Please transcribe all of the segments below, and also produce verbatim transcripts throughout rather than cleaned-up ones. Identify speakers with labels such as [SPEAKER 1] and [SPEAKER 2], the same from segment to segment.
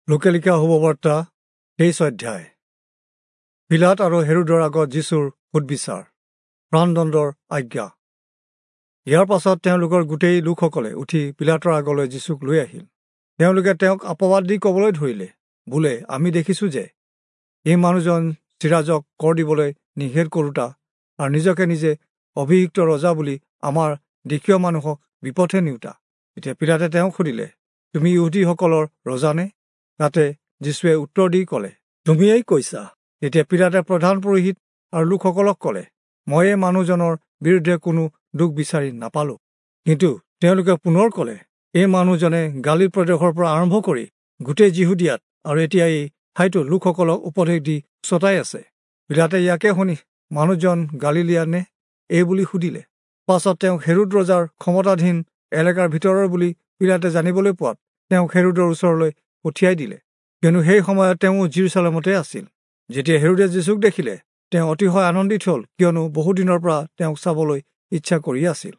[SPEAKER 1] লোকে লিখা শুভবাৰ্তা তেইছ অধ্যায়। পীলাত আৰু হেৰোদৰ আগত যীচুৰ সোধবিচাৰ, প্ৰাণদণ্ডৰ আজ্ঞা। ইয়াৰ পাছত তেওঁলোকৰ গোটেই লোকসকলে উঠি পীলাতৰ আগলৈ যীচুক লৈ আহিল। তেওঁলোকে তেওঁক অপবাদ দি ক'বলৈ ধৰিলে, বোলে, আমি দেখিছোঁ যে এই মানুহজন চিৰাজক কৰ দিবলৈ নিষেধ কৰোঁতা আৰু নিজকে নিজে অভিষিক্ত ৰজা বুলি আমাৰ দেশীয় মানুহক বিপথে নিওঁতা। এতিয়া পীলাতে তেওঁক সুধিলে, তুমি ইহুদীসকলৰ ৰজানে? তাতে যীচুৱে উত্তৰ দি ক'লে, তুমিয়েই কৈছা। তেতিয়া পীলাতে প্ৰধান পুৰোহিত আৰু লোকসকলক ক'লে, মই এই মানুহজনৰ বিৰুদ্ধে কোনো দোষ বিচাৰি নাপালোঁ। কিন্তু তেওঁলোকে পুনৰ ক'লে, এই মানুহজনে গালীল প্ৰদেশৰ পৰা আৰম্ভ কৰি গোটেই যিহুদীয়াত আৰু এতিয়া এই ঠাইতো লোকসকলক উপদেশ দি চতাই আছে। পীলাতে ইয়াকে শুনি, মানুহজন গালিলীয়া নে এই বুলি সুধিলে। পাছত তেওঁক হেৰোদ ৰজাৰ ক্ষমতাধীন এলেকাৰ ভিতৰৰ বুলি পীলাতে জানিবলৈ পোৱাত তেওঁক হেৰোদৰ ওচৰলৈ পঠিয়াই দিলে, কিয়নো সেই সময়ত তেওঁ যিৰূচালেমতে আছিল। যেতিয়া হেৰোদে যীচুক দেখিলে, তেওঁ অতিশয় আনন্দিত হ'ল, কিয়নো বহুদিনৰ পৰা তেওঁক চাবলৈ ইচ্ছা কৰি আছিল।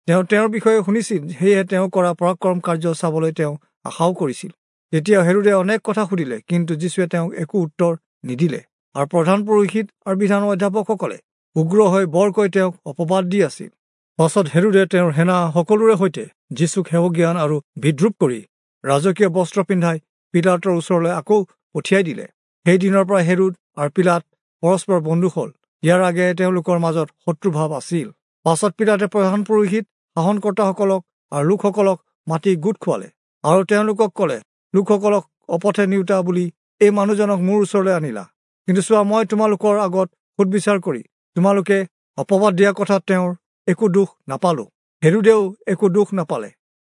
[SPEAKER 1] তেওঁ তেওঁৰ বিষয়ে শুনিছিল, সেয়ে তেওঁ কৰা পৰাক্ৰম কাৰ্য চাবলৈ তেওঁ আশাও কৰিছিল। তেতিয়া হেৰোদে অনেক কথা সুধিলে, কিন্তু যীচুৱে তেওঁক একো উত্তৰ নিদিলে। আৰু প্ৰধান পুৰোহিত আৰু বিধানৰ অধ্যাপকসকলে উগ্ৰ হৈ বৰকৈ তেওঁক অপবাদ দি আছিল। পাছত হেৰোদে তেওঁৰ সেনা সকলোৰে সৈতে যীচুক হেয়জ্ঞান আৰু বিদ্ৰূপ কৰি ৰাজকীয় বস্ত্ৰ পিন্ধাই পীলাতৰ ওচৰলৈ আকৌ পঠিয়াই দিলে। সেই দিনৰ পৰা হেৰোদ আৰু পীলাত পৰস্পৰ বন্ধু হ'ল। ইয়াৰ আগেয়ে তেওঁলোকৰ মাজত শত্ৰুভাৱ আছিল। পাছত পীলাতে প্ৰধান পুৰোহিত, শাসনকৰ্তাসকলক আৰু লোকসকলক মাতি গোট খুৱালে আৰু তেওঁলোকক ক'লে, লোকসকলক অপথে নিওঁতা বুলি এই মানুহজনক মোৰ ওচৰলৈ আনিলা। কিন্তু চোৱা, মই তোমালোকৰ আগত সোধবিচাৰ কৰি তোমালোকে অপবাদ দিয়া কথাত তেওঁৰ একো দোষ নাপালোঁ। হেৰোদেও একো দোষ নাপালে,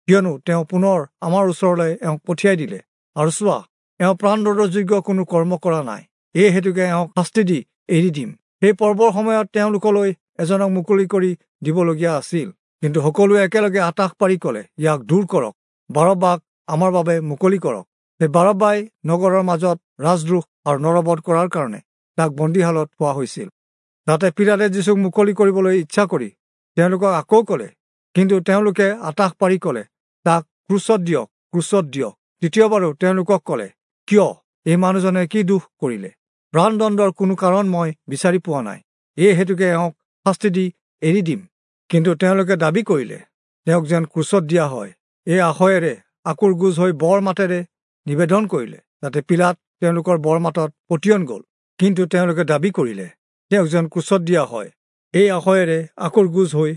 [SPEAKER 1] কিয়নো তেওঁ পুনৰ আমাৰ ওচৰলৈ এওঁক পঠিয়াই দিলে। আৰু চোৱা, এওঁ প্ৰাণদণ্ডৰ যোগ্য কোনো কৰ্ম কৰা নাই, এই হেতুকে এওঁক শাস্তি দি এৰি দিম। সেই পৰ্বৰ সময়ত তেওঁলোকলৈ এজনক মুকলি কৰি দিবলগীয়া আছিল। কিন্তু সকলোৱে একেলগে আটাস পাৰি ক'লে, ইয়াক দূৰ কৰক, বাৰব্বাক আমাৰ বাবে মুকলি কৰক। সেই বাৰব্বাই নগৰৰ মাজত ৰাজদ্ৰোহ আৰু নৰবধ কৰাৰ কাৰণে তাক বন্দীশালত থোৱা হৈছিল। তাতে পীলাতে যীচুক মুকলি কৰিবলৈ ইচ্ছা কৰি তেওঁলোকক আকৌ ক'লে, কিন্তু তেওঁলোকে আটাস পাৰি ক'লে, তাক ক্ৰুচত দিয়ক, ক্ৰুচত দিয়ক। তৃতীয়বাৰো তেওঁলোকক ক'লে, কিয়, এই মানুহজনে কি দোষ কৰিলে? প্ৰাণদণ্ডৰ কোনো কাৰণ মই বিচাৰি পোৱা নাই, এই হেতুকে এওঁক শাস্তি দি এৰি দিম। কিন্তু তেওঁলোকে দাবী কৰিলে তেওঁক যেন ক্ৰুচত দিয়া হয়। এই আশয়েৰে আঁকোৰ গোজ হৈ বৰ মাতেৰে নিবেদন কৰিলে। তাতে পীলাত তেওঁলোকৰ বৰ মাতত পতিয়ন গ'ল। কিন্তু তেওঁলোকে দাবী কৰিলে তেওঁক যেন ক্ৰুচত দিয়া হয়। এই আশয়েৰে আঁকোৰ গোজ হৈ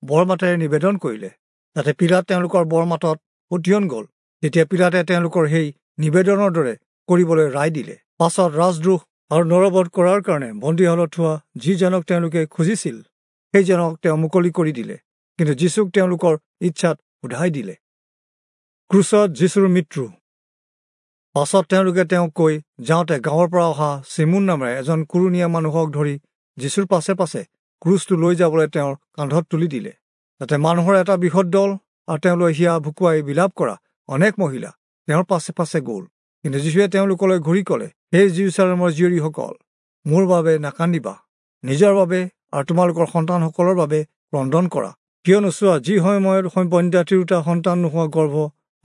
[SPEAKER 1] বৰ মাতেৰে নিবেদন কৰিলে। তাতে পীলাত তেওঁলোকৰ বৰ মাতত পতিয়ন গ'ল। তেতিয়া পীলাতে তেওঁলোকৰ সেই নিবেদনৰ দৰে কৰিবলৈ ৰায় দিলে। পাছত ৰাজদ্ৰোহ আৰু নৰবধ কৰাৰ কাৰণে বন্দীশালত থোৱা যিজনক তেওঁলোকে খুজিছিল, সেইজনক তেওঁ মুকলি কৰি দিলে। কিন্তু যীচুক তেওঁলোকৰ ইচ্ছাত সোধাই দিলে। ক্ৰুচত যীচুৰ মৃত্যু। পাছত তেওঁলোকে তেওঁক কৈ যাওঁতে গাঁৱৰ পৰা অহা চিমোন নামেৰে এজন কুৰণীয়া মানুহক ধৰি যীচুৰ পাছে পাছে ক্ৰুচটো লৈ যাবলৈ তেওঁৰ কান্ধত তুলি দিলে। তাতে মানুহৰ এটা বৃহৎ দল আৰু তেওঁলৈ হিয়া ভুকুৱাই বিলাপ কৰা অনেক মহিলা তেওঁৰ পাছে পাছে গ'ল। কিন্তু যীচুৱে তেওঁলোকলৈ ঘূৰি ক'লে, হে যিৰূচালেমৰ জীয়ৰীসকল, মোৰ বাবে নাকান্দিবা, নিজৰ বাবে আৰু তোমালোকৰ সন্তানসকলৰ বাবে ক্ৰন্দন কৰা। কিয়নো চোৱা, যি সময়ত বন্ধ্যা তিৰোতা সন্তান নোহোৱা গৰ্ভ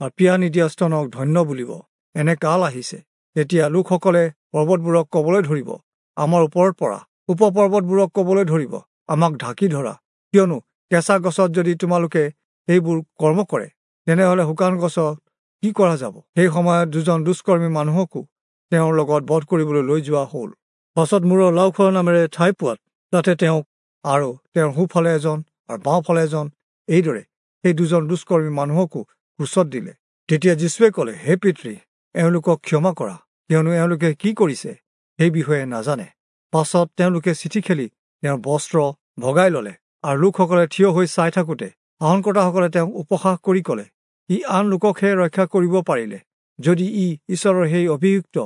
[SPEAKER 1] আৰু পিয়া নিদিয়া স্তনক ধন্য বুলিব, এনে কাল আহিছে। তেতিয়া লোকসকলে পৰ্বতবোৰক ক'বলৈ ধৰিব, আমাৰ ওপৰত পৰা, উপপৰ্বতবোৰক ক'বলৈ ধৰিব, আমাক ঢাকি ধৰা। কিয়নো কেঁচা গছত যদি তোমালোকে সেইবোৰ কৰ্ম কৰে, তেনেহ'লে শুকান গছত কি কৰা যাব? সেই সময়ত দুজন দুষ্কৰ্মী মানুহকো তেওঁৰ লগত বধ কৰিবলৈ লৈ যোৱা হ'ল। পাছত মূৰৰ লাওখোৱা নামেৰে ঠাই পোৱাত তাতে তেওঁক আৰু তেওঁৰ সোঁফালে এজন আৰু বাওঁফালে এজন, এইদৰে সেই দুজন দুষ্কৰ্মী মানুহকো ক্ৰুচত দিলে। তেতিয়া যীচুৱে ক'লে, হে পিতৃ, এওঁলোকক ক্ষমা কৰা, কিয়নো এওঁলোকে কি কৰিছে সেই বিষয়ে নাজানে। পাছত তেওঁলোকে চিঠি খেলি তেওঁৰ বস্ত্ৰ ভগাই ল'লে। আৰু লোকসকলে থিয় হৈ চাই থাকোঁতে শাসনকৰ্তাসকলে তেওঁক উপহাস কৰি ক'লে, ই আন লোককহে ৰক্ষা কৰিব পাৰিলে, যদি ই ঈশ্বৰৰ সেই অভিযুক্ত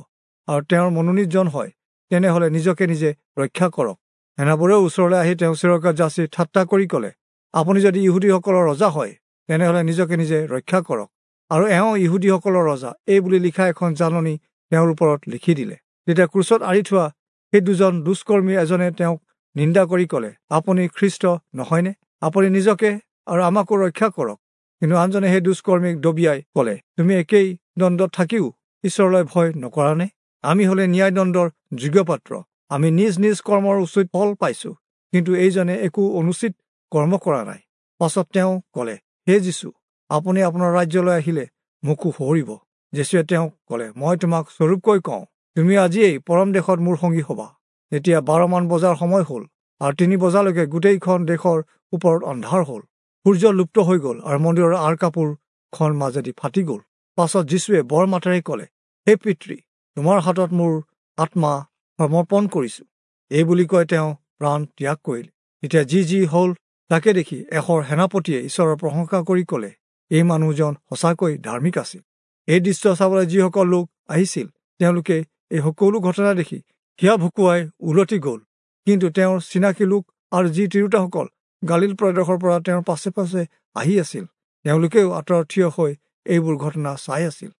[SPEAKER 1] আৰু তেওঁৰ মনোনীতজন হয়, তেনেহ'লে নিজকে নিজে ৰক্ষা কৰক। সেনাবোৰেও ওচৰলৈ আহি তেওঁ চিৰকা যাচি ঠাট্টা কৰি ক'লে, আপুনি যদি ইহুদীসকলৰ ৰজা হয়, তেনেহ'লে নিজকে নিজে ৰক্ষা কৰক। আৰু এওঁ ইহুদীসকলৰ ৰজা, এই বুলি লিখা এখন জাননী তেওঁৰ ওপৰত লিখি দিলে। তেতিয়া ক্ৰুচত আঁৰি থোৱা সেই দুজন দুষ্কৰ্মী এজনে তেওঁক নিন্দা কৰি ক'লে, আপুনি খ্ৰীষ্ট নহয়নে? আপুনি নিজকে আৰু আমাকো ৰক্ষা কৰক। কিন্তু আনজনে সেই দুষ্কৰ্মীক দবিয়াই ক'লে, তুমি একেই দণ্ডত থাকিও ঈশ্বৰলৈ ভয় নকৰা নে? আমি হলে ন্যায়দণ্ডৰ যোগ্য পাত্ৰ, আমি নিজ নিজ কৰ্মৰ উচিত ফল পাইছো, কিন্তু এইজনে একো অনুচিত কৰ্ম কৰা নাই। পাছত তেওঁ ক'লে, হে যীচু, আপুনি আপোনাৰ ৰাজ্যলৈ আহিলে মোকো সোঁৱৰিব। যীচুৱে তেওঁক ক'লে, মই তোমাক স্বৰূপকৈ কওঁ, তুমি আজিয়েই পৰম দেশত মোৰ সঙ্গী হবা। তেতিয়া বাৰমান বজাৰ সময় হ'ল আৰু তিনি বজালৈকে গোটেইখন দেশৰ ওপৰত অন্ধাৰ হ'ল। সূৰ্য লুপ্ত হৈ গ'ল আৰু মন্দিৰৰ আঁৰ কাপোৰখন মাজেদি ফাটি গ'ল। পাছত যীচুৱে বৰ মাতেৰে ক'লে, হে পিতৃ, তোমাৰ হাতত মোৰ আত্মা সমৰ্পণ কৰিছো। এই বুলি কৈ তেওঁ প্ৰাণ ত্যাগ কৰিলে। তেতিয়া যি যি হ'ল তাকে দেখি এশৰ সেনাপতিয়ে ঈশ্বৰৰ প্ৰশংসা কৰি ক'লে, এই মানুহজন সঁচাকৈ ধাৰ্মিক আছিল। এই দৃশ্য চাবলৈ যিসকল লোক আহিছিল তেওঁলোকে এই সকলো ঘটনা দেখি হিয়া ভুকুৱাই উলটি গ'ল। কিন্তু তেওঁৰ চিনাকি লোক আৰু যি তিৰোতাসকল গালিল প্ৰদেশৰ পৰা তেওঁৰ পাছে পাছে আহি আছিল, তেওঁলোকেও আঁতৰত থিয় হৈ এইবোৰ ঘটনা চাই আছিল।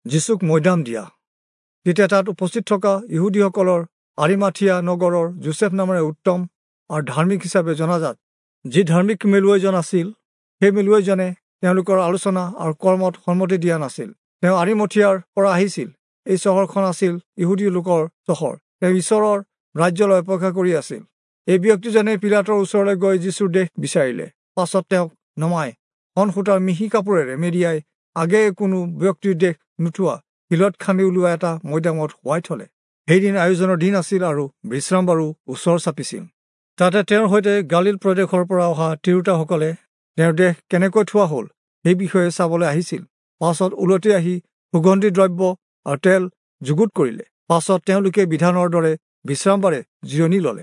[SPEAKER 1] যীচুক মৈদাম দিয়া। তেতিয়া তাত উপস্থিত থকা ইহুদীসকলৰ আৰিমাথিয়া নগৰৰ যোচেফ নামেৰে উত্তম আৰু ধাৰ্মিক হিচাপে জনাজাত যি ধাৰ্মিক মেলুৱৈজন আছিল, সেই মেলুৱৈজনে তেওঁলোকৰ আলোচনা আৰু কৰ্মত সন্মতি দিয়া নাছিল। তেওঁ আৰিমথিয়াৰ পৰা আহিছিল। এই চহৰখন আছিল ইহুদী লোকৰ চহৰ। তেওঁ ঈশ্বৰৰ ৰাজ্যলৈ অপেক্ষা কৰি আছিল। এই ব্যক্তিজনে পিলাতৰ ওচৰলৈ গৈ যীচুৰ দেহ বিচাৰিলে। পাছত তেওঁক নমাই শন সূতাৰ মিহি কাপোৰেৰে মেৰিয়াই আগেয়ে কোনো ব্যক্তিৰ দেহ নুঠোৱা শিলত খান্দি ওলোৱা এটা মৈদামত শুৱাই থলে। সেইদিন আয়োজনৰ দিন আছিল আৰু বিশ্ৰামবাৰো ওচৰ চাপিছিল। তাতে তেওঁৰ সৈতে গালিল প্ৰদেশৰ পৰা অহা তিৰোতাসকলে তেওঁৰ দেহ কেনেকৈ থোৱা হ'ল সেই বিষয়ে চাবলৈ আহিছিল। পাছত ওলটি আহি সুগন্ধি দ্ৰব্য আৰু তেল যুগুত কৰিলে। পাছত তেওঁলোকে বিধানৰ দৰে বিশ্ৰামবাৰে জিৰণি ললে।